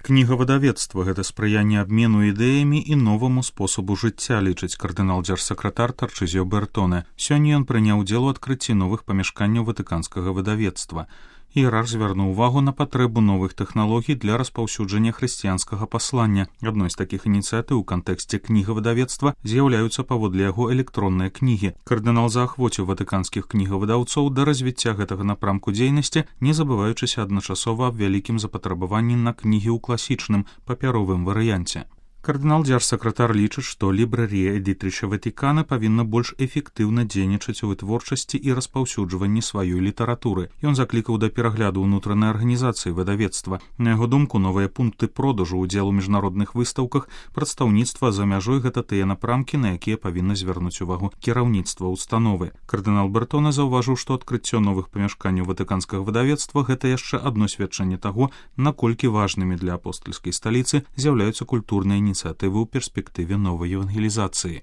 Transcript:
Кнігавыдавецтва – гэта спрыянне абмену ідэямі і новаму спосабу жыцця, лічыць кардынал-дзяржсакратар Тарчызіо Бертоне. Сёння ён прыняў удзел у адкрыцці новых памяшканняў ватыканскага выдавецтва. Іерарх звярнуў увагу на патрэбу новых тэхналогій для распаўсюджання хрысціянскага паслання. Адной з такіх ініцыятыў у кантэксце кнігавыдавецтва з'яўляюцца паводле яго электронныя кнігі. Кардынал заахвоціў ватыканскіх кнігавыдаўцоў да развіцця гэтага напрамку дзейнасці, не забываючыся адначасова аб вялікім запатрабаванні на кнігі ў класічным папяровым варыянце. Кардынал-дзяржсакратар лічыць, што лібрарія Эдитрича Ватикана павінна больш эфектыўна дзейнічаць у вытворчасці і распаўсюджванні сваёй літаратуры. Ён заклікаў да перагляду ўнутранай арганізацыі выдавецтва. На яго думку, новыя пункты продажу, удзел у міжнародных выстаўках, прадстаўніцтва за мяжой гэта тыя напрамкі, на якія павінна звярнуць увагу кіраўніцтва ўстановы. Кардынал Бертоне заўважыў, што адкрыццё новых памяшканняў ватыканскага выдавецтва гэта яшчэ адно сведчанне таго, наколькі важнымі для апостальскай сталіцы з'яўляюцца культурныя ініцыятывы ў перспектыве новай евангелізацыі.